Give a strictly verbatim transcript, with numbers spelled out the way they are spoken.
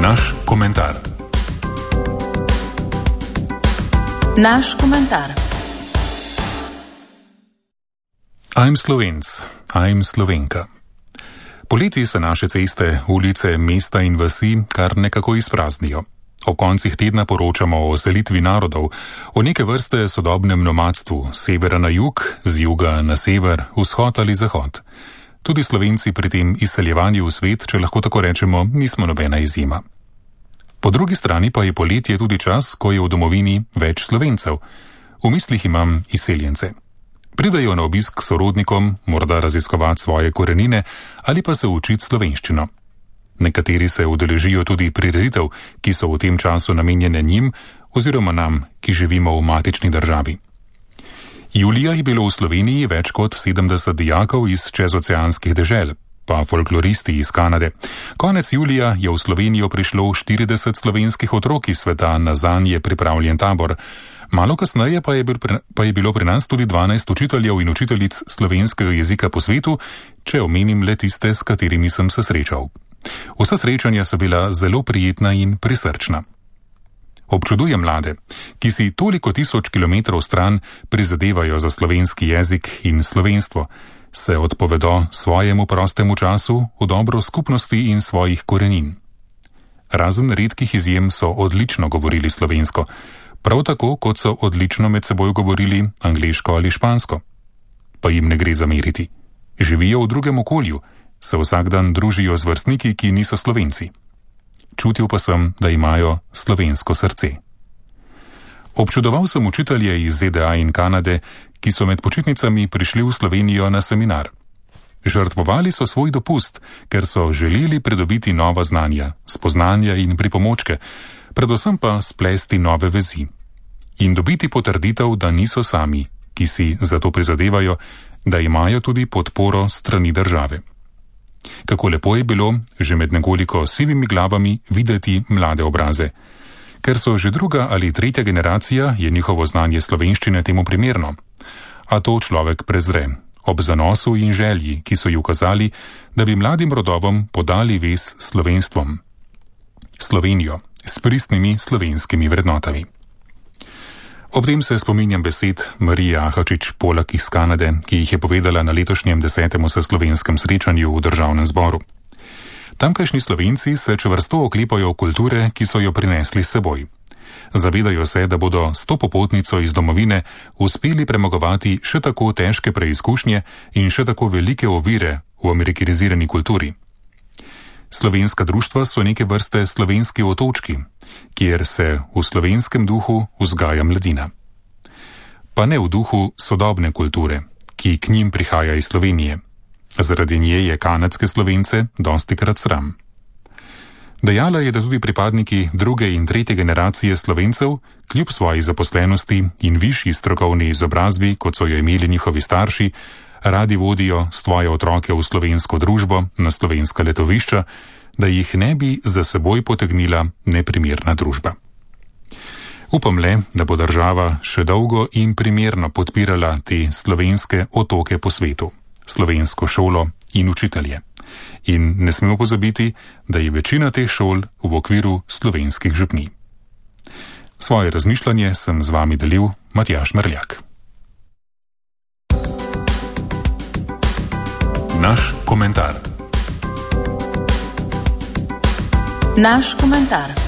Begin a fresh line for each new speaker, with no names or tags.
Naš komentar.
Naš komentar.
I'm Slovenc, I'm Slovenka. Poleti se naše ceste, ulice, mesta in vasi kar nekako izpraznijo. O koncih tedna poročamo o selitvi narodov, o neke vrste sodobnem nomadstvu, severa na jug, z juga na sever, vzhod ali zahod. Tudi Slovenci pri tem izseljevanju v svet, če lahko tako rečemo, nismo nobena izjema. Po drugi strani pa je poletje tudi čas, ko je v domovini več Slovencev. V mislih imam izseljence. Pridajo na obisk sorodnikom, morda raziskovati svoje korenine ali pa se učiti slovenščino. Nekateri se udeležijo tudi prireditev, ki so v tem času namenjene njim oziroma nam, ki živimo v matični državi. Julija je bilo v Sloveniji več kot sedemdeset dijakov iz čezoceanskih dežel, pa folkloristi iz Kanade. Konec julija je v Slovenijo prišlo štirideset slovenskih otrok iz sveta na zanje pripravljen tabor. Malo kasneje pa je, bil, pa je bilo pri nas tudi dvanajst učiteljev in učiteljic slovenskega jezika po svetu, če omenim le tiste, s katerimi sem se srečal. Vsa srečanja so bila zelo prijetna in prisrčna. Občudujem mlade, ki si toliko tisoč kilometrov stran prizadevajo za slovenski jezik in slovenstvo, se odpovedo svojemu prostemu času v dobro skupnosti in svojih korenin. Razen redkih izjem so odlično govorili slovensko, prav tako kot so odlično med seboj govorili angleško ali špansko. Pa jim ne gre zameriti. Živijo v drugem okolju, se vsak dan družijo z vrstniki, ki niso Slovenci. Čutil pa sem, da imajo slovensko srce. Občudoval sem učitelje iz Z D A in Kanade, ki so med počitnicami prišli v Slovenijo na seminar. Žrtvovali so svoj dopust, ker so želeli pridobiti nova znanja, spoznanja in pripomočke, predvsem pa splesti nove vezi. In dobiti potrditev, da niso sami, ki si za to prizadevajo, da imajo tudi podporo strani države. Kako lepo je bilo, že med nekoliko sivimi glavami, videti mlade obraze. Ker so že druga ali tretja generacija, je njihovo znanje slovenščine temu primerno. A to človek prezre, ob zanosu in želji, ki so ji ukazali, da bi mladim rodovom podali vez s slovenstvom. Slovenijo, s pristnimi slovenskimi vrednotami. Ob tem se spominjam besed Marije Ahačič-Polak iz Kanade, ki jih je povedala na letošnjem desetem vseslovenskem srečanju v državnem zboru. Tamkajšnji Slovenci se čvrsto oklepajo kulture, ki so jo prinesli s seboj. Zavedajo se, da bodo s to popotnico iz domovine uspeli premagovati še tako težke preizkušnje in še tako velike ovire v amerikanizirani kulturi. Slovenska društva so neke vrste slovenski otočki, kjer se v slovenskem duhu vzgaja mladina. Pa ne v duhu sodobne kulture, ki k njim prihaja iz Slovenije. Zaradi nje je kanadske Slovence dostikrat sram. Dejala je, da tudi pripadniki druge in tretje generacije Slovencev, kljub svoji zaposlenosti in višji strokovni izobrazbi, kot so jo imeli njihovi starši, radi vodijo svoje otroke v slovensko družbo, na slovenska letovišča, da jih ne bi za seboj potegnila neprimerna družba. Upam le, da bo država še dolgo in primerno podpirala te slovenske otoke po svetu, slovensko šolo in učitelje. In ne smemo pozabiti, da je večina teh šol v okviru slovenskih župnij. Svoje razmišljanje sem z vami delil Matjaž Merljak. Naš komentar.
Naš komentar.